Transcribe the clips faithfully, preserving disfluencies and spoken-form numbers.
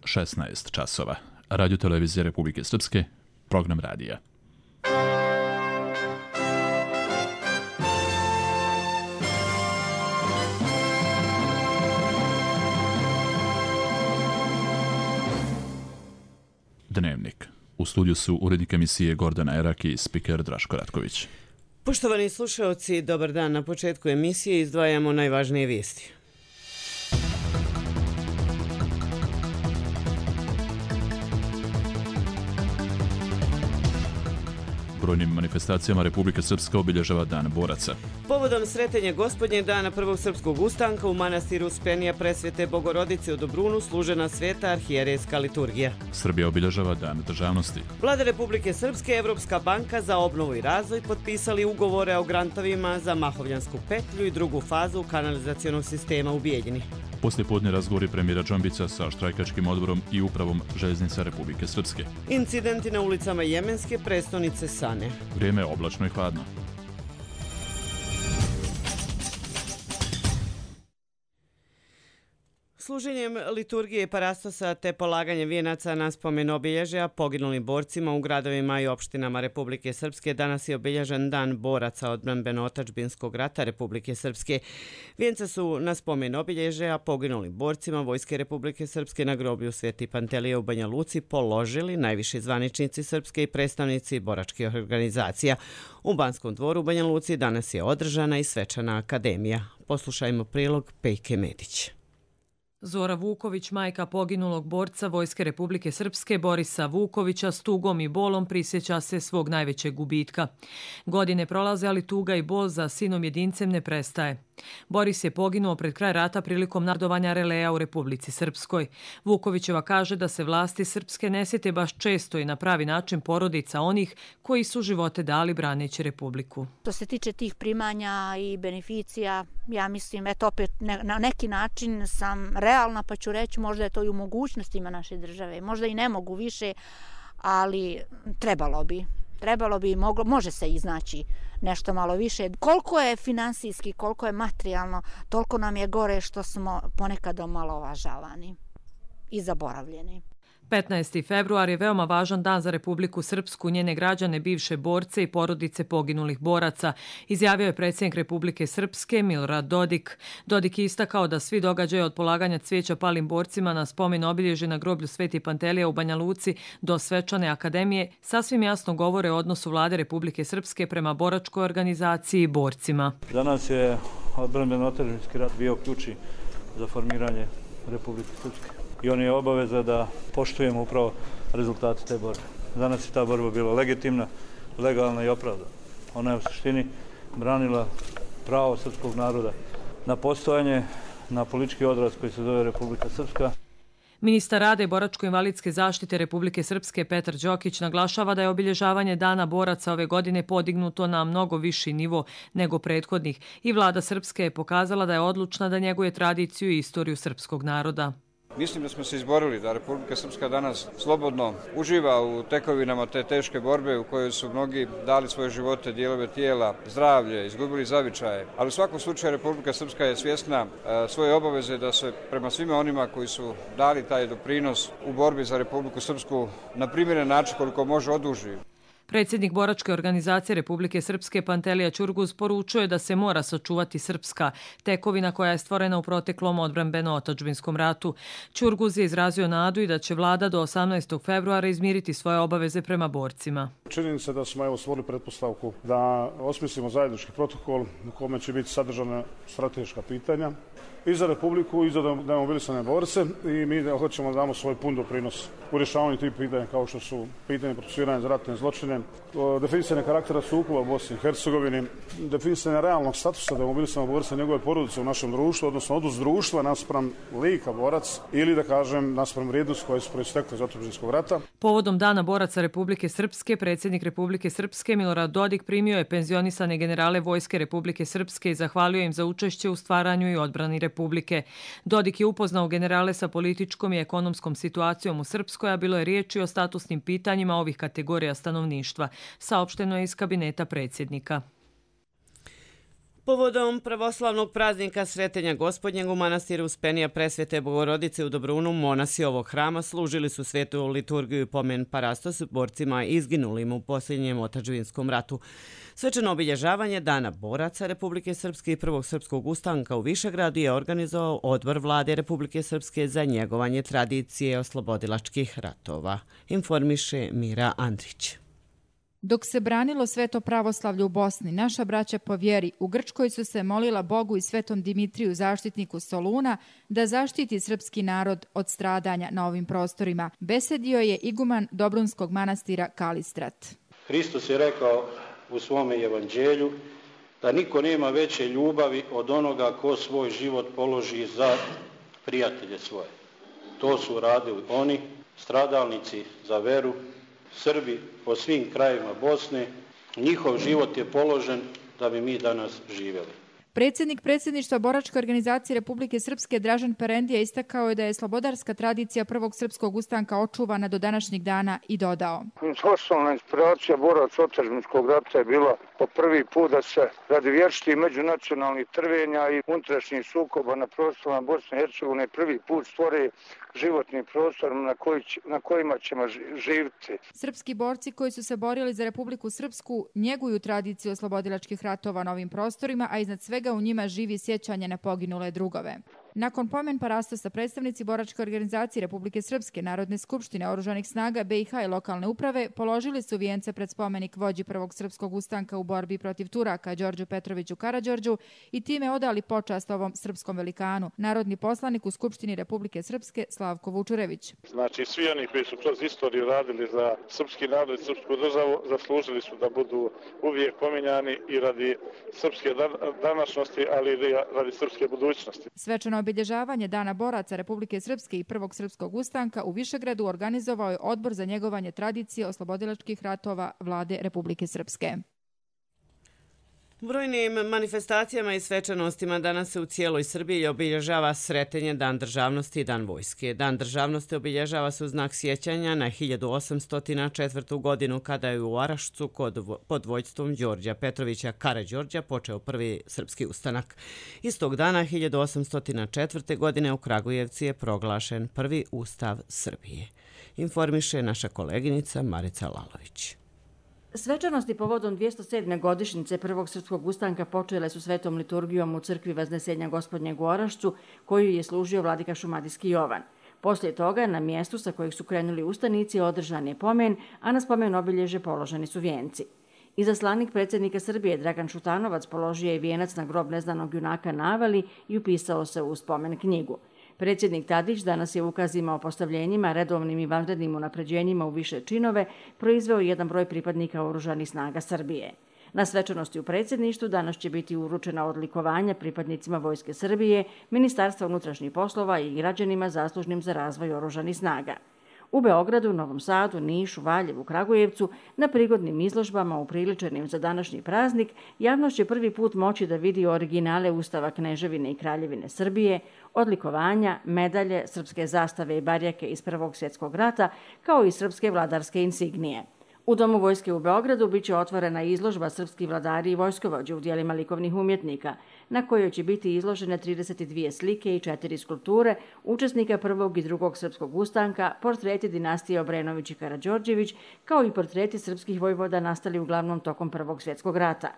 šesnaest časova. Radio televizija Republike Srpske, program radija. Dnevnik. U studiju su urednik emisije Gordana Erak i spiker Draško Ratković. Poštovani slušaoci, dobar dan. Na početku emisije izdvajamo najvažnije vijesti. Brojnim manifestacijama Republika Srpska obilježava Dan boraca. Povodom sretenja Gospodnjeg dana prvog srpskog ustanka u manastiru Uspenija Presvete Bogorodice u Dobrunu služena sveta arhijerejska liturgija. Srbija obilježava Dan državnosti. Vlada Republike Srpske i Evropska banka za obnovu i razvoj potpisali ugovore o grantovima za Mahovljansku petlju i drugu fazu kanalizacionog sistema u Bijeljini. Poslijepodne razgovori premijera Džambića sa štrajkačkim odborom i upravom željeznica Republike Srpske. Incidenti na ulicama jemenske prestonice Sane. Vrijeme je oblačno i hladno. Služenjem liturgije i parastasa te polaganje vijenaca na spomen obilježja poginulim borcima u gradovima i opštinama Republike Srpske danas je obilježen Dan boraca odbrambeno-otadžbinskog rata Republike Srpske. Vijenca su na spomen obilježja poginulim borcima Vojske Republike Srpske na groblju Sveti Pantelije u Banja Luci položili najviši zvaničnici Srpske i predstavnici boračkih organizacija. U Banskom dvoru u Banja Luci danas je održana i svečana akademija. Poslušajmo prilog Pejke Medić. Zora Vuković, majka poginulog borca Vojske Republike Srpske Borisa Vukovića, s tugom i bolom prisjeća se svog najvećeg gubitka. Godine prolaze, ali tuga i bol za sinom jedincem ne prestaje. Boris je poginuo pred kraj rata prilikom nardovanja releja u Republici Srpskoj. Vukovićeva kaže da se vlasti srpske ne sjete baš često i na pravi način porodica onih koji su živote dali braneći Republiku. Što se tiče tih primanja i beneficija, ja mislim, eto opet ne, na neki način sam realna, pa ću reći možda je to i u mogućnostima naše države. Možda i ne mogu više, ali trebalo bi. Trebalo bi, moglo, može se iznaći nešto malo više. Koliko je finansijski, koliko je materijalno, toliko nam je gore što smo ponekad omalovažavani i zaboravljeni. petnaesti februar je veoma važan dan za Republiku Srpsku, njene građane, bivše borce i porodice poginulih boraca, izjavio je predsjednik Republike Srpske Milorad Dodik. Dodik je istakao da svi događaje od polaganja cvijeća palim borcima na spomen obilježje na groblju Sveti Pantelija u Banja Luci do svečane akademije sasvim jasno govore o odnosu vlade Republike Srpske prema boračkoj organizaciji i borcima. Danas je odbrambeno-otadžbinski rat bio ključni za formiranje Republike Srpske. I on je obaveza da poštujemo upravo rezultate te borbe. Danas je ta borba bila legitimna, legalna i opravdana. Ona je u suštini branila pravo srpskog naroda na postojanje, na politički odraz koji se zove Republika Srpska. Ministar rada i boračko-invalidske zaštite Republike Srpske Petar Đokić naglašava da je obilježavanje Dana boraca ove godine podignuto na mnogo viši nivo nego prethodnih i vlada Srpske je pokazala da je odlučna da njeguje tradiciju i istoriju srpskog naroda. Mislim da smo se izborili da Republika Srpska danas slobodno uživa u tekovinama te teške borbe u kojoj su mnogi dali svoje živote, dijelove tijela, zdravlje, izgubili zavičaje. Ali u svakom slučaju Republika Srpska je svjesna e, svoje obaveze da se prema svima onima koji su dali taj doprinos u borbi za Republiku Srpsku na primjeren način koliko može oduži. Predsjednik boračke organizacije Republike Srpske Pantelija Ćurguz poručuje da se mora sačuvati srpska tekovina koja je stvorena u proteklom odbrambeno-otadžbinskom ratu. Ćurguz je izrazio nadu i da će vlada do osamnaestog februara izmiriti svoje obaveze prema borcima. Čini se da smo evo stvorili pretpostavku da osmislimo zajednički protokol u kome će biti sadržana strateška pitanja i za Republiku i za demobilisane borce i mi hoćemo da damo svoj pun doprinos u rješavanju tih pitanja kao što su pitanje procesuiranja za ratne zločine, definisanje karaktera sukoba u Bosni i Hercegovini, definisanje realnog statusa demobilisanog borca i njegove porodice u našem društvu, odnosno odnos društva naspram lika borac ili da kažem naspram vrijednosti koje su proistekle iz otadžbinskog rata. Povodom Dana boraca Republike Srpske, predsjednik Republike Srpske Milorad Dodik primio je penzionisane generale Vojske Republike Srpske i zahvalio im za učešće u stvaranju i odbrani Republike. Dodik je upoznao generale sa političkom i ekonomskom situacijom u Srpskoj, a bilo je riječi o statusnim pitanjima ovih kategorija stanovništva, saopšteno je iz kabineta predsjednika. Povodom pravoslavnog praznika Sretenja Gospodnjeg u manastiru Uspenija Presvete Bogorodice u Dobrunu monasi ovog hrama služili su svetu liturgiju i pomen parastos borcima izginulim u posljednjem otadžbinskom ratu. Svečano obilježavanje Dana boraca Republike Srpske i Prvog srpskog ustanka u Višegradu je organizovao Odbor Vlade Republike Srpske za njegovanje tradicije oslobodilačkih ratova, informiše Mira Andrić. Dok se branilo sveto pravoslavlje u Bosni, naša braća po vjeri u Grčkoj su se molila Bogu i svetom Dimitriju, zaštitniku Soluna, da zaštiti srpski narod od stradanja na ovim prostorima. Besedio je iguman Dobrunskog manastira Kalistrat. Hristos je rekao u svome evanđelju da niko nema veće ljubavi od onoga ko svoj život položi za prijatelje svoje. To su radili oni, stradalnici za veru, Srbi po svim krajevima Bosne. Njihov život je položen da bi mi danas živjeli. Predsjednik predsjedništva Boračke organizacije Republike Srpske Dražen Perendija istakao je da je slobodarska tradicija Prvog srpskog ustanka očuvana do današnjeg dana i dodao. Osnovna inspiracija boraca otadžbinskog rata je bila po prvi put da se radi vječitih međunacionalnih trvenja i unutrašnjih sukoba na prostorima Bosne i Hercegovine prvi put stvore životni prostor na, koji, na kojima ćemo živjeti. Srpski borci koji su se borili za Republiku Srpsku njeguju tradiciju oslobodilačkih ratova na ovim prostorima, a iznad svega u njima živi sjećanje na poginule drugove. Nakon pomen parastosa predstavnici Boračke organizacije Republike Srpske, Narodne skupštine, Oružanih snaga B i H i lokalne uprave položili su vijence pred spomenik vođi Prvog srpskog ustanka u borbi protiv Turaka Đorđu Petroviću Karađorđu i time odali počast ovom srpskom velikanu. Narodni poslanik u Skupštini Republike Srpske Slavko Vučurević. Znači svi oni koji su kroz istoriju radili za srpski narod i srpsku državu zaslužili su da budu uvijek pominjani i radi srpske današnjosti, ali i radi srpske budućnosti. Svečano obilježavanje Dana boraca Republike Srpske i Prvog srpskog ustanka u Višegradu organizovao je Odbor za njegovanje tradicije oslobodilačkih ratova Vlade Republike Srpske. Brojnim manifestacijama i svečanostima danas se u cijeloj Srbiji obilježava Sretenje, Dan državnosti i Dan vojske. Dan državnosti obilježava se u znak sjećanja na hiljadu osamsto četvrtu. godinu kada je u Arašcu pod vođstvom Đorđa Petrovića Karađorđa počeo prvi srpski ustanak. Istog dana hiljadu osamsto četvrte. godine u Kragujevcu je proglašen prvi ustav Srbije. Informiše naša koleginica Marica Lalović. Svečanosti povodom dvjesto sedme. godišnjice Prvog srpskog ustanka počele su svetom liturgijom u crkvi Vaznesenja Gospodnjeg u Orašcu, koju je služio vladika Šumadijski Jovan. Poslije toga, na mjestu sa kojeg su krenuli ustanici, održan je pomen, a na spomen obilježe položeni su vijenci. Izaslanik predsjednika Srbije Dragan Šutanovac položio je vijenac na grob neznanog junaka na Avali i upisao se u spomen knjigu. Predsjednik Tadić danas je ukazima o postavljenjima, redovnim i vanrednim unapređenjima u više činove proizveo jedan broj pripadnika Oružanih snaga Srbije. Na svečanosti u predsjedništvu danas će biti uručena odlikovanja pripadnicima Vojske Srbije, Ministarstva unutrašnjih poslova i građanima zaslužnim za razvoj Oružanih snaga. U Beogradu, Novom Sadu, Nišu, Valjevu, Kragujevcu, na prigodnim izložbama upriličenim za današnji praznik, javnost će prvi put moći da vidi originale Ustava Kneževine i Kraljevine Srbije, odlikovanja, medalje, srpske zastave i barjake iz Prvog svjetskog rata, kao i srpske vladarske insignije. U Domu vojske u Beogradu biće otvorena izložba Srpski vladari i vojskovođe u dijelima likovnih umjetnika, na kojoj će biti izložene trideset dvije slike i četiri skulpture učesnika Prvog i Drugog srpskog ustanka, portreti dinastije Obrenović i Karađorđević, kao i portreti srpskih vojvoda nastali uglavnom tokom Prvog svjetskog rata.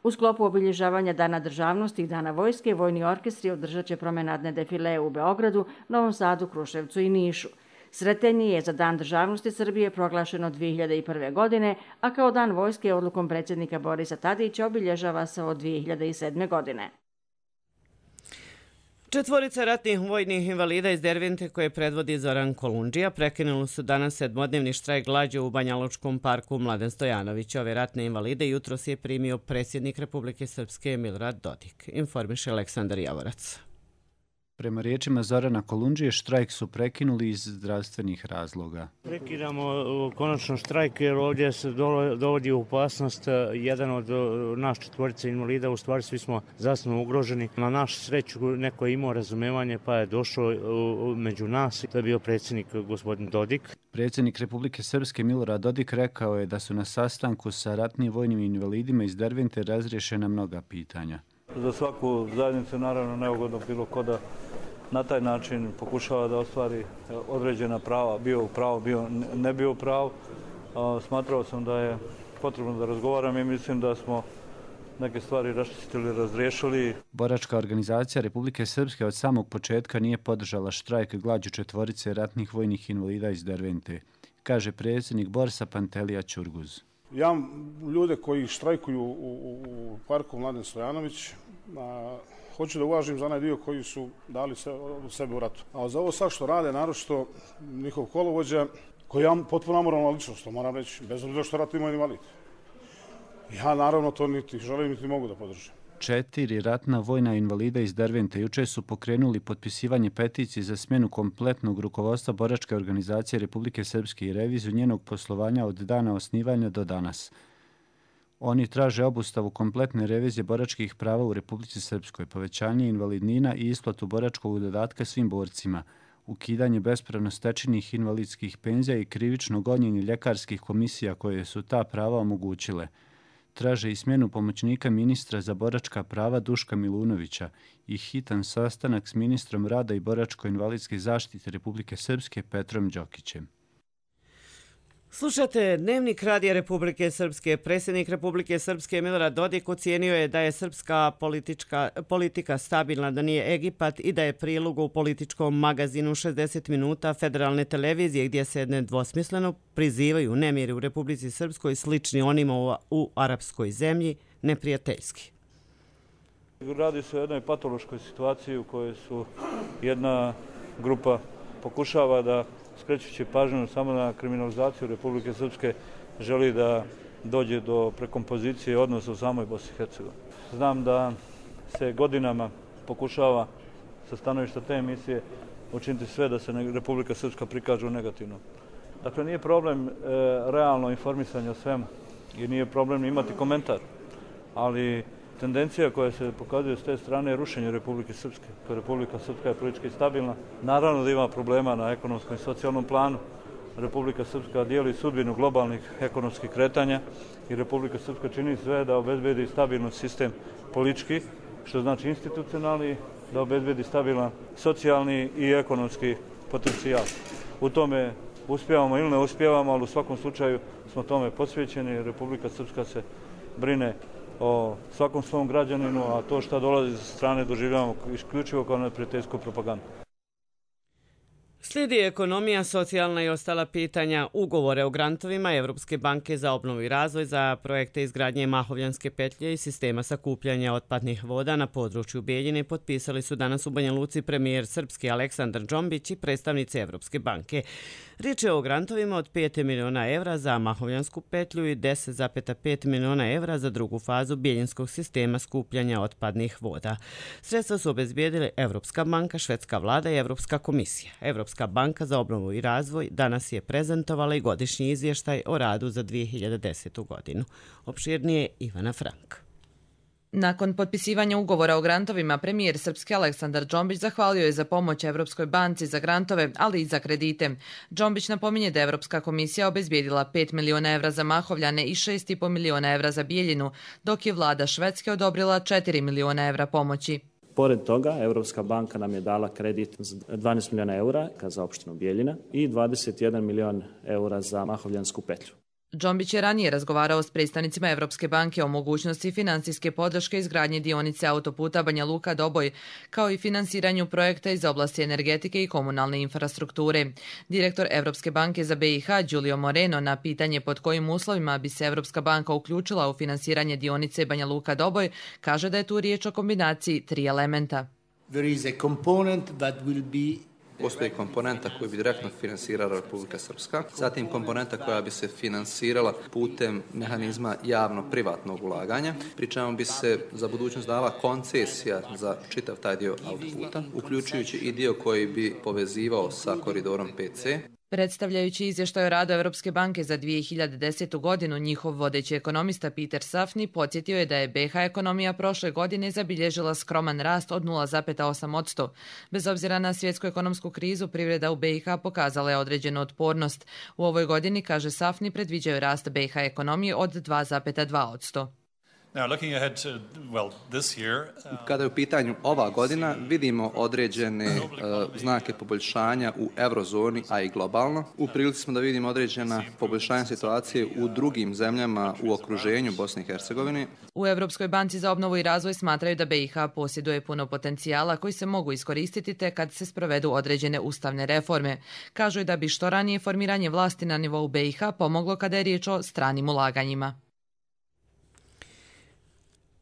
U sklopu obilježavanja Dana državnosti i Dana vojske, vojni orkestri održat će promenadne defilee u Beogradu, Novom Sadu, Kruševcu i Nišu. Sretenje je za Dan državnosti Srbije proglašeno dvije hiljade prve. godine, a kao Dan vojske odlukom predsjednika Borisa Tadića obilježava se od dvije hiljade sedme. godine. Četvorica ratnih vojnih invalida iz Dervente koje predvodi Zoran Kolundžija prekinuli su danas sedmodnevni štrajk glađu u Banjalučkom parku Mladen Stojanović. Ove ratne invalide jutros je primio predsjednik Republike Srpske Milorad Dodik, informiše Aleksandar Javorac. Prema riječima Zorana Kolundžije, štrajk su prekinuli iz zdravstvenih razloga. Prekidamo konačno štrajk jer ovdje se dovodi u opasnost jedan od naš četvorica invalida, u stvari svi smo zdravstveno ugroženi. Na našu sreću neko je imao razumevanje pa je došao među nas, to je bio predsjednik gospodin Dodik. Predsjednik Republike Srpske Milorad Dodik rekao je da su na sastanku sa ratnim vojnim invalidima iz Dervente razriješena mnoga pitanja. za svaku zajednicu naravno neugodno bilo ko da na taj način pokušava da ostvari određena prava, bio u pravu, bio ne bio u pravu. Smatrao sam da je potrebno da razgovaram i mislim da smo neke stvari raščistili, razriješili. Boračka organizacija Republike Srpske od samog početka nije podržala štrajk glađu četvorice ratnih vojnih invalida iz Dervente, kaže predsjednik Borsa Pantelija Ćurguz. Ja ljude koji štrajkuju u, u, u parku Mladen Stojanović, a, hoću da uvažim za onaj dio koji su dali se, sebe u ratu. A za ovo sad što rade, naročito njihov kolovođa, koji je potpuno amoralna ličnost, to moram reći, bez obzira što rat ima invalid. Ja naravno to niti želim, niti mogu da podržim. Četiri ratna vojna invalida iz Dervente juče su pokrenuli potpisivanje peticije za smjenu kompletnog rukovodstva Boračke organizacije Republike Srpske i reviziju njenog poslovanja od dana osnivanja do danas. Oni traže obustavu kompletne revizije boračkih prava u Republici Srpskoj, povećanje invalidnina i isplatu boračkog dodatka svim borcima, ukidanje bespravno stečenih invalidskih penzija i krivično gonjenje ljekarskih komisija koje su ta prava omogućile. Traže i smjenu pomoćnika ministra za boračka prava Duška Milunovića i hitan sastanak s ministrom rada i boračko-invalidske zaštite Republike Srpske Petrom Đokićem. Slušate Dnevnik Radija Republike Srpske. Predsjednik Republike Srpske Milorad Dodik ocijenio je da je srpska politička, politika stabilna, da nije Egipat i da je prilog u političkom magazinu šezdeset minuta federalne televizije gdje se nedvosmisleno prizivaju nemiri u Republici Srpskoj slični onima u, u arapskoj zemlji, neprijateljski. Radi se o jednoj patološkoj situaciji u kojoj su jedna grupa pokušava da skrećući pažnju samo na kriminalizaciju Republike Srpske, želi da dođe do prekompozicije odnosa u samoj Bosni i Hercegovini. Znam da se godinama pokušava sa stanovišta te emisije učiniti sve da se Republika Srpska prikaže u negativno. Dakle, nije problem e, realno informisanje o svemu i nije problem imati komentar, ali tendencija koja se pokazuje s te strane je rušenje Republike Srpske. Republika Srpska je politički stabilna. Naravno da ima problema na ekonomskom i socijalnom planu. Republika Srpska dijeli sudbinu globalnih ekonomskih kretanja i Republika Srpska čini sve da obezbedi stabilan sistem politički, što znači institucionalni, da obezbedi stabilan socijalni i ekonomski potencijal. U tome uspijevamo ili ne uspijevamo, ali u svakom slučaju smo tome posvećeni. Republika Srpska se brine o svakom svom građaninu, a to što dolazi sa strane doživljavamo isključivo kao neprijateljsku propagandu. Slijedi ekonomija, socijalna i ostala pitanja. Ugovore o grantovima Evropske banke za obnovu i razvoj za projekte izgradnje Mahovljanske petlje i sistema sakupljanja otpadnih voda na području Bijeljine potpisali su danas u Banja Luci premijer Srpski Aleksandar Džombić i predstavnici Evropske banke. Riječ je o grantovima od pet miliona evra za Mahovljansku petlju i deset zarez pet miliona evra za drugu fazu bijeljinskog sistema skupljanja otpadnih voda. Sredstva su obezbijedile Evropska banka, Švedska vlada i Evropska komisija. Evropska banka za obnovu i razvoj danas je prezentovala i godišnji izvještaj o radu za dvije hiljade desetu. godinu. Opširnije Ivana Frank. Nakon potpisivanja ugovora o grantovima, premijer Srpski Aleksandar Džombić zahvalio je za pomoć Evropskoj banci za grantove, ali i za kredite. Džombić napominje da je Evropska komisija obezbijedila pet miliona evra za Mahovljane i šest i po miliona evra za Bijeljinu, dok je vlada Švedske odobrila četiri miliona evra pomoći. Pored toga, Evropska banka nam je dala kredit za dvanaest miliona eura za opštinu Bijeljina i dvadeset jedan milion eura za Mahovljansku petlju. Džombić je ranije razgovarao s predstavnicima Evropske banke o mogućnosti finansijske podrške izgradnje dionice autoputa Banja Luka-Doboj, kao i finansiranju projekta iz oblasti energetike i komunalne infrastrukture. Direktor Evropske banke za B i H, Giulio Moreno, na pitanje pod kojim uslovima bi se Evropska banka uključila u finansiranje dionice Banja Luka-Doboj, kaže da je tu riječ o kombinaciji tri elementa. There is a component that will be Postoji komponenta koju bi direktno finansirala Republika Srpska, zatim komponenta koja bi se finansirala putem mehanizma javno-privatnog ulaganja, pri čemu bi se za budućnost dala koncesija za čitav taj dio autoputa, uključujući i dio koji bi povezivao sa koridorom P C. Predstavljajući izvještaj o radu Evropske banke za dvije hiljade desetu. godinu, njihov vodeći ekonomista Peter Safni podsjetio je da je B i H ekonomija prošle godine zabilježila skroman rast od nula zarez osam posto. Bez obzira na svjetsku ekonomsku krizu, privreda u B i H pokazala je određenu otpornost. U ovoj godini, kaže Safni, predviđaju rast B i H ekonomije od dva zarez dva posto. Kada je u pitanju ova godina, vidimo određene uh, znake poboljšanja u eurozoni, a i globalno. U prilici smo da vidimo određena poboljšanja situacije u drugim zemljama u okruženju Bosne i Hercegovine. U Evropskoj banci za obnovu i razvoj smatraju da B i H posjeduje puno potencijala koji se mogu iskoristiti te kad se sprovedu određene ustavne reforme. Kažu da bi što ranije formiranje vlasti na nivou B i H pomoglo kada je riječ o stranim ulaganjima.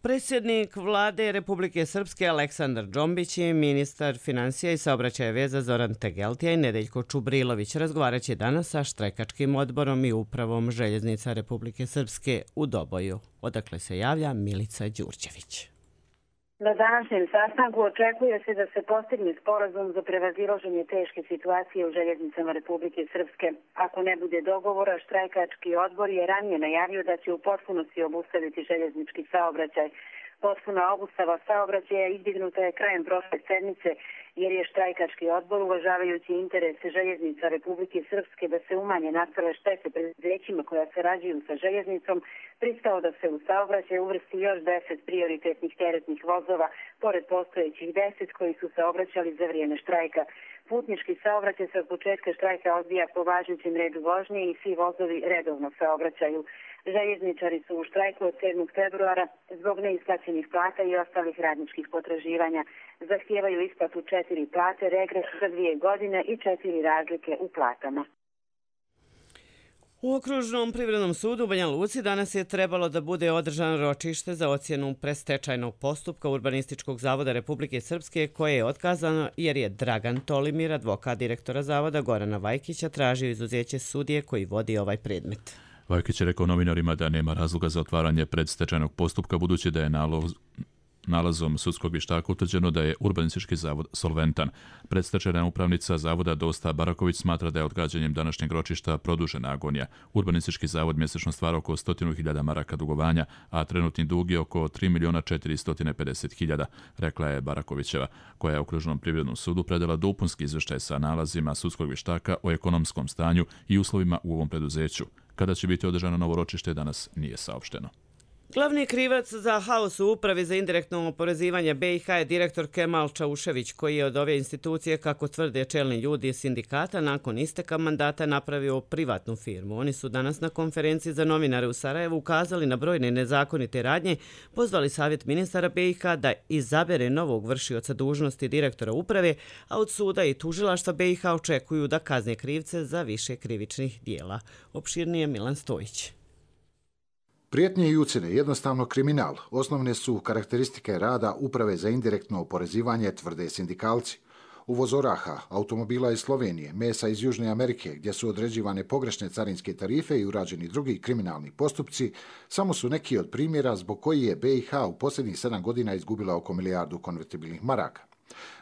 Predsjednik vlade Republike Srpske Aleksandar Džombić i ministar financija i saobraćaja veza Zoran Tegeltija i Nedeljko Čubrilović razgovarat će danas sa štrajkačkim odborom i upravom željeznica Republike Srpske u Doboju. Odakle se javlja Milica Đurđević. Na današnjem sastanku očekuje se da se postigne sporazum za prevazilaženje teške situacije u željeznicama Republike Srpske. Ako ne bude dogovora, štrajkački odbor je ranije najavio da će u potpunosti obustaviti željeznički saobraćaj. Potpuna obustava saobraćaja izdignuta je krajem prošle sedmice, jer je štrajkački odbor, uvažavajući interese željeznica Republike Srpske da se umanje nastale štete preduzećima koja sarađuju sa željeznicom, pristao da se u saobraćaj uvrsti još deset prioritetnih teretnih vozova, pored postojećih deset koji su saobraćali za vrijeme štrajka. Putnički saobraćaj se od početka štrajka odvija po važećem redu vožnje i svi vozovi redovno saobraćaju. Željezničari su u štrajku od sedmog februara zbog neisplaćenih plata i ostalih radničkih potraživanja. Zahtijevaju isplatu četiri plate, regres za dvije godine i četiri razlike u platama. U Okružnom privrednom sudu u Banja Luci danas je trebalo da bude održano ročište za ocjenu predstečajnog postupka Urbanističkog zavoda Republike Srpske, koje je otkazano jer je Dragan Tolimir, advokat direktora zavoda Gorana Vajkića, tražio izuzeće sudije koji vodi ovaj predmet. Vajkić je rekao novinarima da nema razloga za otvaranje predstečajnog postupka, budući da je naloz nalazom sudskog vještaka utvrđeno da je Urbanistički zavod solventan. Predstečajna upravnica zavoda Dosta Baraković smatra da je odgađanjem današnjeg ročišta produžena agonija. Urbanistički zavod mjesečno stvara oko sto hiljada maraka dugovanja, a trenutni dug je oko tri milijuna četiristo pedeset hiljada, rekla je Barakovićeva, koja je Okružnom privrednom sudu predala dopunski izvještaj sa nalazima sudskog vještaka o ekonomskom stanju i uslovima u ovom preduzeću. Kada će biti održano novo ročište danas nije saopšteno. Glavni krivac za haos u upravi za indirektno oporezivanje B i H je direktor Kemal Čaušević, koji je od ove institucije, kako tvrde čelni ljudi iz sindikata, nakon isteka mandata napravio privatnu firmu. Oni su danas na konferenciji za novinare u Sarajevu ukazali na brojne nezakonite radnje, pozvali savjet ministara B i H da izabere novog vršioca dužnosti direktora uprave, a od suda i tužilaštva B i H očekuju da kazne krivce za više krivičnih dijela. Opširnije Milan Stojić. Prijetnje i ucjene, jednostavno kriminal, osnovne su karakteristike rada Uprave za indirektno oporezivanje, tvrde sindikalci. Uvoz oraha, automobila iz Slovenije, mesa iz Južne Amerike, gdje su određivane pogrešne carinske tarife i urađeni drugi kriminalni postupci, samo su neki od primjera zbog koji je B i H u posljednjih sedam godina izgubila oko milijardu konvertibilnih maraka.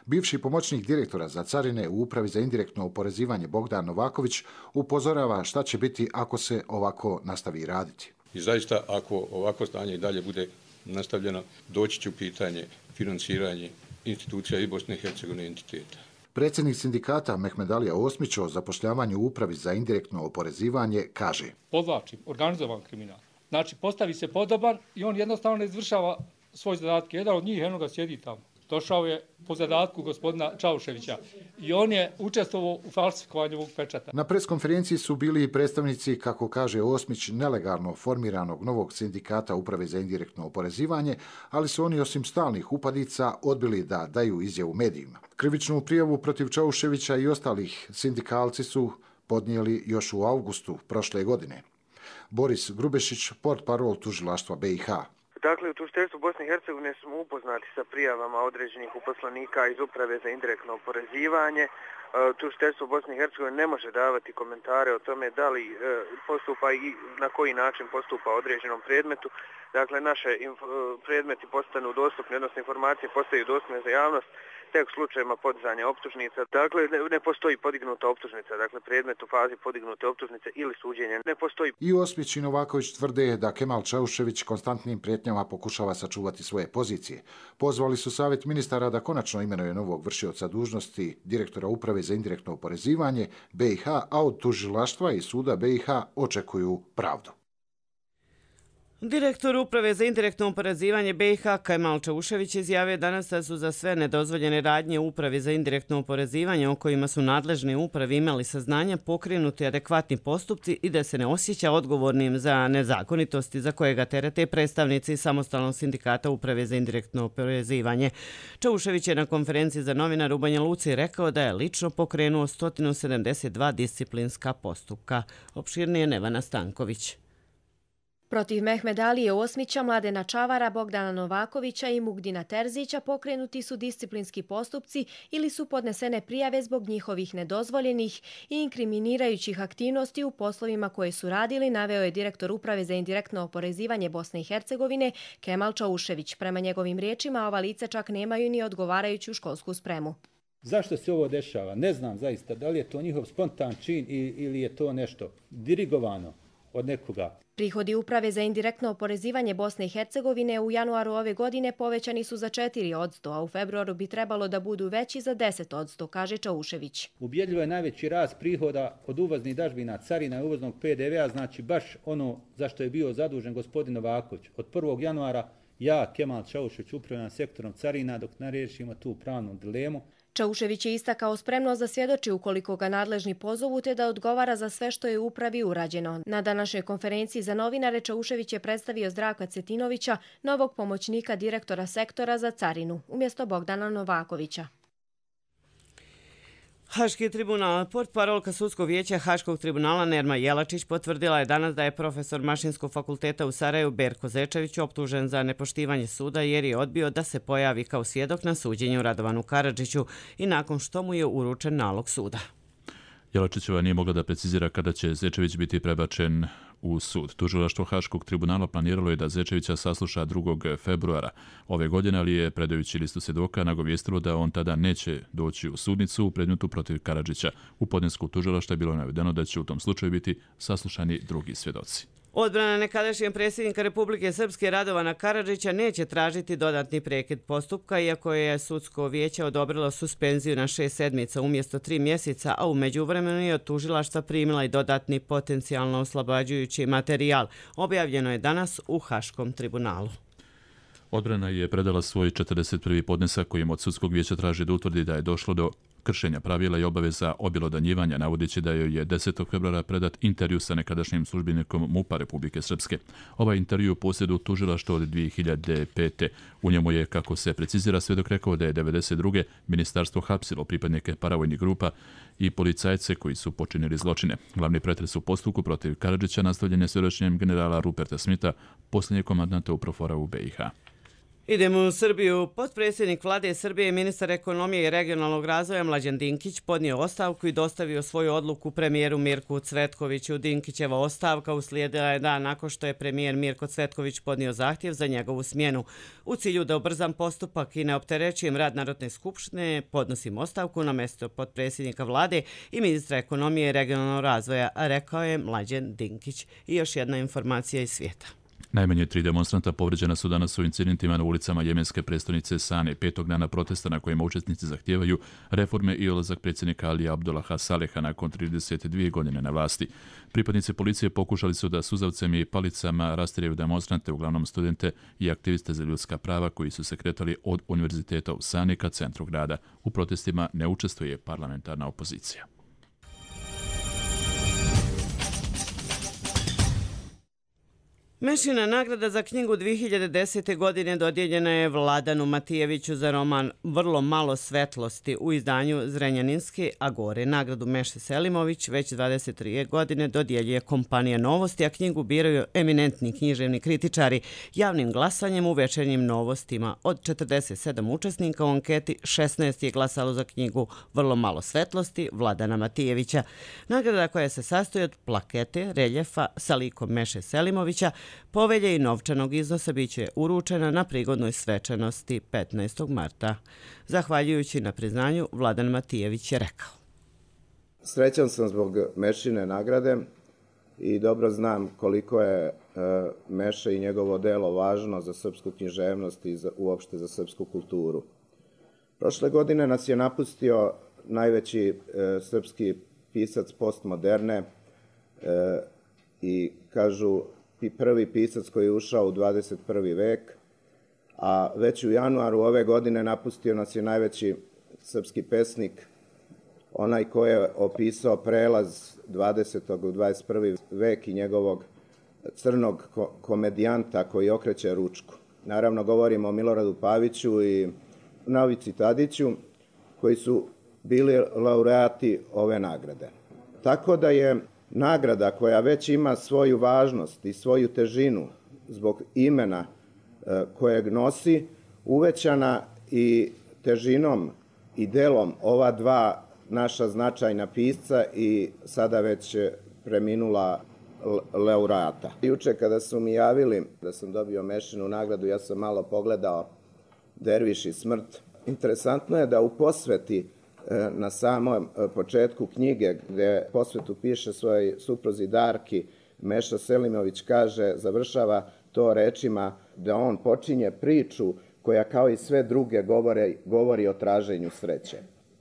Bivši pomoćnik direktora za carine u Upravi za indirektno oporezivanje Bogdan Novaković upozorava šta će biti ako se ovako nastavi raditi. I zaista, ako ovako stanje i dalje bude nastavljeno, doći će u pitanje financiranje institucija i Bosne i Hercegovine entiteta. Predsjednik sindikata Mehmedalija Osmić o zapošljavanju u Upravi za indirektno oporezivanje kaže: Podvlačim, organizovan kriminal. Znači, postavi se podoban i on jednostavno ne izvršava svoj zadatke. Jedan od njih, eno ga sjedi tamo. Došao je po zadatku gospodina Čauševića i on je učestvovao u falsifikovanju ovog pečata. Na preskonferenciji su bili i predstavnici, kako kaže Osmić, nelegalno formiranog novog sindikata Uprave za indirektno oporezivanje, ali su oni osim stalnih upadica odbili da daju izjavu medijima. Krivičnu prijavu protiv Čauševića i ostalih sindikalci su podnijeli još u avgustu prošle godine. Boris Grubešić, portparol tužilaštva B i H. Dakle, u tužiteljstvu Bosne i Hercegovine smo upoznati sa prijavama određenih uposlenika iz Uprave za indirektno oporezivanje. Tužiteljstvo Bosne i Hercegovine ne može davati komentare o tome da li postupa i na koji način postupa određenom predmetu. Dakle, naše predmeti postanu dostupni, odnosno informacije postaju dostupne za javnost tek u slučajima podizanja optužnica. Dakle, ne, ne postoji podignuta optužnica, dakle predmet u fazi podignute optužnice ili suđenja ne postoji. I Osmić i Novaković tvrde da Kemal Čaušević konstantnim prijetnjama pokušava sačuvati svoje pozicije. Pozvali su savjet ministara da konačno imenuje novog vršioca dužnosti direktora Uprave za indirektno oporezivanje B i H, a od tužilaštva i suda B i H očekuju pravdu. Direktor Uprave za indirektno oporezivanje B i H Kemal Čaušević izjavio danas da su za sve nedozvoljene radnje u Upravi za indirektno oporezivanje o kojima su nadležni upravi imali saznanja pokrenuti adekvatni postupci i da se ne osjeća odgovornim za nezakonitosti za koje ga terete predstavnici samostalnog sindikata Uprave za indirektno oporezivanje. Čaušević je na konferenciji za novinare u Banja Luci rekao da je lično pokrenuo sto sedamdeset dva disciplinska postupka. Opširnije Nevana Stanković. Protiv Mehmed Alije Osmića, Mladena Čavara, Bogdana Novakovića i Mugdina Terzića pokrenuti su disciplinski postupci ili su podnesene prijave zbog njihovih nedozvoljenih i inkriminirajućih aktivnosti u poslovima koje su radili, naveo je direktor Uprave za indirektno oporezivanje Bosne i Hercegovine Kemal Čaušević. Prema njegovim riječima, ova lica čak nemaju ni odgovarajuću školsku spremu. Zašto se ovo dešava? Ne znam zaista da li je to njihov spontan čin ili je to nešto dirigovano od nekoga. Prihodi Uprave za indirektno oporezivanje Bosne i Hercegovine u januaru ove godine povećani su za četiri posto, a u februaru bi trebalo da budu veći za deset posto, kaže Čaušević. Ubjedljivo je najveći rast prihoda od uvoznih dažbina, carina i uvoznog P D V-a, znači baš ono za što je bio zadužen gospodin Novaković. Od prvog januara ja, Kemal Čaušević, upravljam sektorom carina dok ne riješimo tu pravnu dilemu. Čaušević je istakao spremnost da svjedoči ukoliko ga nadležni pozovu te da odgovara za sve što je u upravi urađeno. Na današnjoj konferenciji za novinare Čaušević je predstavio Zdravka Cetinovića, novog pomoćnika direktora sektora za carinu, umjesto Bogdana Novakovića. Haški tribunal, portparolka Sudskog vijeća Haškog tribunala Nerma Jelačić potvrdila je danas da je profesor Mašinskog fakulteta u Sarajevu Berko Zečević optužen za nepoštivanje suda jer je odbio da se pojavi kao svjedok na suđenju Radovanu Karadžiću i nakon što mu je uručen nalog suda. Jelačićeva nije mogla da precizira kada će Zečević biti prebačen u sud. Tužilaštvo Haškog tribunala planiralo je da Zečevića sasluša drugog februara ove godine, ali je, predajući listu svjedoka, nagovijestilo da on tada neće doći u sudnicu u predmetu protiv Karadžića. U podnesku tužilaštva je bilo navedeno da će u tom slučaju biti saslušani drugi svjedoci. Odbrana nekadašnjeg predsjednika Republike Srpske Radovana Karadžića neće tražiti dodatni prekid postupka, iako je Sudsko vijeće odobrilo suspenziju na šest sedmica umjesto tri mjeseca, a u međuvremenu je od tužilaštva primila i dodatni potencijalno oslobađajući materijal. Objavljeno je danas u Haškom tribunalu. Odbrana je predala svoj četrdeset prvi podnesak kojim od Sudskog vijeća traži da utvrdi da je došlo do kršenja pravila i obaveza objelodanjivanja, navodeći da joj je desetog februara predat intervju sa nekadašnjim službenikom MUP-a Republike Srpske. Ovaj intervju posjedu tužilaštvo od dvije hiljade pete. U njemu je, kako se precizira, svjedok rekao da je devedeset druge ministarstvo hapsilo pripadnike paravojnih grupa i policajce koji su počinili zločine. Glavni pretres u postupku protiv Karadžića nastavljen je svjedočenjem generala Ruperta Smitha, posljednjeg komandanta UPROFOR-a u B i H. Idemo u Srbiju. Potpredsjednik vlade Srbije i ministar ekonomije i regionalnog razvoja Mlađan Dinkić podnio ostavku i dostavio svoju odluku premijeru Mirku Cvetkoviću. Dinkićeva ostavka uslijedila je dan nakon što je premijer Mirko Cvetković podnio zahtjev za njegovu smjenu. U cilju da ubrzam postupak i ne opterećujem rad Narodne skupštine, podnosim ostavku na mjesto potpredsjednika vlade i ministra ekonomije i regionalnog razvoja, rekao je Mlađan Dinkić. I još jedna informacija iz svijeta. Najmanje tri demonstranta povređena su danas u incidentima na ulicama jemenske prestonice Sane, petog dana protesta na kojima učesnici zahtijevaju reforme i odlazak predsjednika Alija Abdullaha Saleha nakon trideset dvije godine na vlasti. Pripadnici policije pokušali su da suzavcem i palicama rastjeraju demonstrante, uglavnom studente i aktiviste za ljudska prava koji su se kretali od univerziteta u Sani ka centru grada. U protestima ne učestvuje parlamentarna opozicija. Mešina nagrada za knjigu dvije hiljade desete. godine dodijeljena je Vladanu Matijeviću za roman Vrlo malo svetlosti u izdanju Zrenjaninske Agore. Nagradu Meše Selimović već dvadeset tri godine dodjeljuje kompanija Novosti, a knjigu biraju eminentni književni kritičari javnim glasanjem u večernjim novostima. Od četrdeset sedam učesnika u anketi, šesnaest je glasalo za knjigu Vrlo malo svetlosti Vladana Matijevića. Nagrada koja se sastoji od plakete, reljefa sa likom Meše Selimovića, povelje i novčanog iznosa biće uručena na prigodnoj svečanosti petnaestog marta. Zahvaljujući na priznanju, Vladan Matijević je rekao: Srećan sam zbog Mešine nagrade i dobro znam koliko je Meša i njegovo delo važno za srpsku književnost i uopšte za srpsku kulturu. Prošle godine nas je napustio najveći srpski pisac postmoderne i kažu prvi pisac koji je ušao u dvadeset prvi vek, a već u januaru ove godine napustio nas je najveći srpski pesnik, onaj ko je opisao prelaz dvadesetog u dvadeset prvi vek i njegovog crnog komedijanta koji okreće ručku. Naravno, govorimo o Miloradu Paviću i Novici Tadiću, koji su bili laureati ove nagrade. Tako da je nagrada koja već ima svoju važnost i svoju težinu zbog imena kojeg nosi, uvećana i težinom i delom ova dva naša značajna pisca i sada već preminula laureata. Juče kada su mi javili da sam dobio Mešinu nagradu, ja sam malo pogledao Derviš i smrt. Interesantno je da u posveti na samom početku knjige, gde posvetu piše svojoj supruzi Darki, Meša Selimović kaže, završava to rečima da on počinje priču koja kao i sve druge govore, govori o traženju sreće.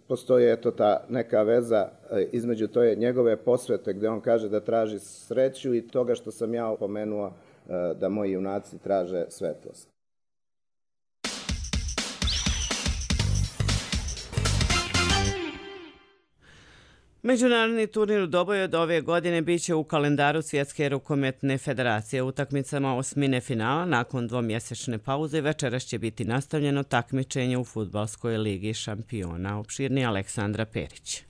Postoji eto ta neka veza između toje njegove posvete gde on kaže da traži sreću i toga što sam ja opomenuo da moji junaci traže svetlost. Međunarodni turnir u Doboju od ove godine biće u kalendaru Svjetske rukometne federacije. Utakmicama osmine finala nakon dvomjesečne pauze večeras će biti nastavljeno takmičenje u Fudbalskoj ligi šampiona. Opširni Aleksandra Perić.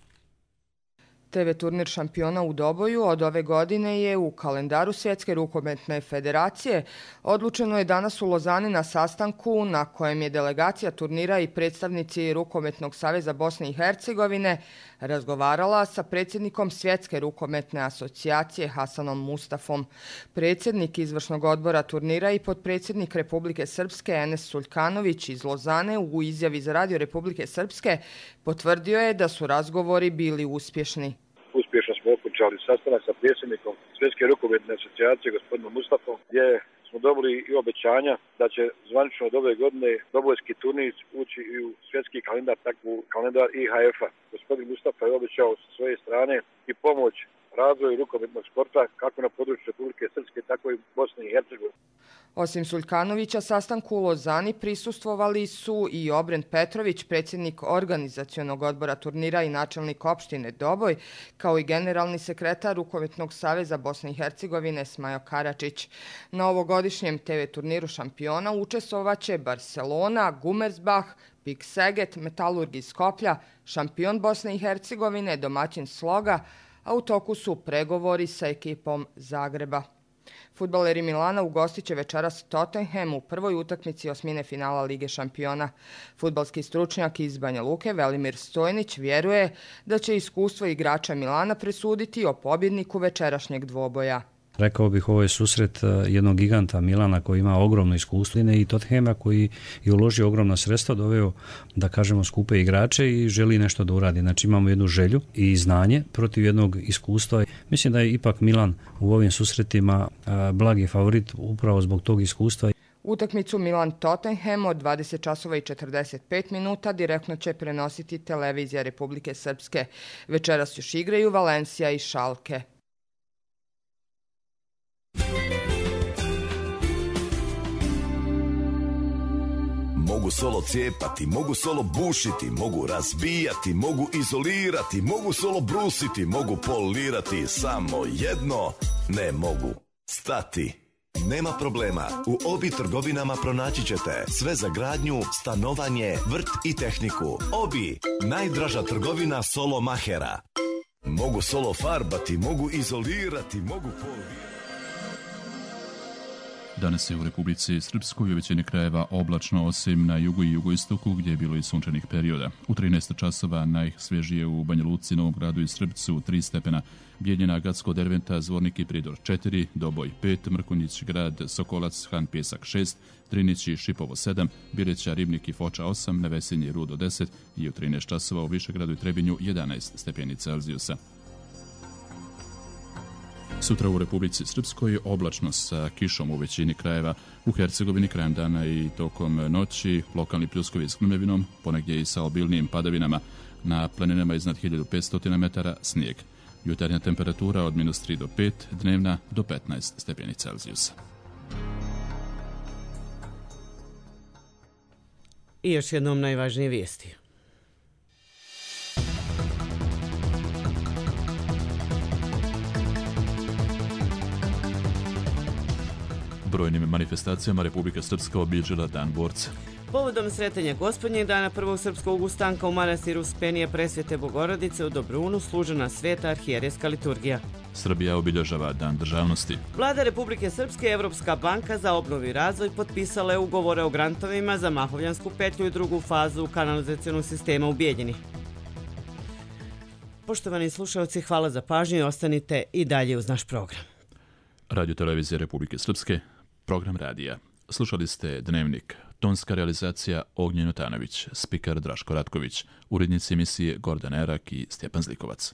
te ve turnir šampiona u Doboju od ove godine je u kalendaru Svjetske rukometne federacije. Odlučeno je danas u Lozani na sastanku na kojem je delegacija turnira i predstavnici Rukometnog saveza Bosne i Hercegovine razgovarala sa predsjednikom Svjetske rukometne asocijacije Hasanom Mustafom. Predsjednik izvršnog odbora turnira i potpredsjednik Republike Srpske Enes Suljkanović iz Lozane u izjavi za Radio Republike Srpske potvrdio je da su razgovori bili uspješni. Uspješno smo okončali sastanak sa predsjednikom Svjetske rukometne asocijacije gospodinom Mustafom, gdje smo dobili i obećanja da će zvanično od ove godine dobojski turnir ući i u svjetski kalendar, tako u kalendar I H F-a. Gospodin Mustafa je obećao sa svoje strane i pomoć razvoju rukometnog sporta kako na području Republike Srpske, tako i Bosne i Hercegovine. Osim Suljkanovića, sastanku u Lozani prisustvovali su i Obrent Petrović, predsjednik organizacionog odbora turnira i načelnik opštine Doboj, kao i generalni sekretar Rukometnog saveza Bosne i Hercegovine Smajo Karačić. Na ovogodišnjem te ve turniru šampiona učestvovaće Barcelona, Gumersbach, Pik Seget, Metalurg iz Skoplja, šampion Bosne i Hercegovine, domaćin Sloga, a u toku su pregovori sa ekipom Zagreba. Fudbaleri Milana ugostit će večeras Tottenham u prvoj utakmici osmine finala Lige šampiona. Fudbalski stručnjak iz Banja Luke Velimir Stojnić vjeruje da će iskustvo igrača Milana presuditi o pobjedniku večerašnjeg dvoboja. Rekao bih, ovo je susret jednog giganta Milana koji ima ogromno iskustvo i Tottenhama koji je uložio ogromna sredstva, doveo, da kažemo, skupe igrače i želi nešto da uradi. Znači imamo jednu želju i znanje protiv jednog iskustva. Mislim da je ipak Milan u ovim susretima blagi favorit upravo zbog tog iskustva. Utakmicu Milan-Tottenham od dvadeset časova i četrdeset pet minuta direktno će prenositi televizija Republike Srpske. Večeras još igraju Valencija i Šalke. Mogu solo cijepati, mogu solo bušiti, mogu razbijati, mogu izolirati, mogu solo brusiti, mogu polirati, samo jedno ne mogu stati. Nema problema, u Obi trgovinama pronaći ćete sve za gradnju, stanovanje, vrt i tehniku. Obi, najdraža trgovina solo mahera. Mogu solo farbati, mogu izolirati, mogu polirati. Danas je u Republici Srpskoj u većini krajeva oblačno, osim na jugu i jugoistoku gdje je bilo i sunčanih perioda. U trinaest časova najsvježije u Banja Luci, Novom Gradu i Srpcu tri stepena, Bijeljina, Gacko, Derventa, Zvornik i Pridor četiri, Doboj pet, Mrkonjić, Grad, Sokolac, Han Pjesak šest, Trinić i Šipovo sedam, Bireća, Ribnik i Foča osam, Nevesinje i Rudo deset i u trinaest časova u Višegradu i Trebinju jedanaest stepeni Celzijusa. Sutra u Republici Srpskoj oblačno sa kišom u većini krajeva, u Hercegovini krajem dana i tokom noći lokalni pljuskovi s grmevinom, ponegdje i sa obilnijim padavinama, na planinama iznad hiljadu petsto metara snijeg. Jutarnja temperatura od minus tri do pet, dnevna do petnaest stepeni Celzijusa. I još jednom najvažnije vijesti. Brojnim manifestacijama Republika Srpska obilježila Dan borca. Povodom sretanja Gospodnjeg dana prvog srpskog ustanka u manastiru Spenije Presvete Bogorodice u Dobrunu služena sveta arhijerejska liturgija. Srbija obilježava Dan državnosti. Vlada Republike Srpske i Evropska banka za obnovu i razvoj potpisale ugovore o grantovima za Mahovljansku petlju i drugu fazu kanalizacionog sistema u Bijeljini. Poštovani slušalci, hvala za pažnju i ostanite i dalje uz naš program. Radio Televizije Republike Srpske, program radija. Slušali ste Dnevnik, tonska realizacija Ognjen Otanović, spikar Draško Ratković, urednici emisije Gordan Erak i Stjepan Zlikovac.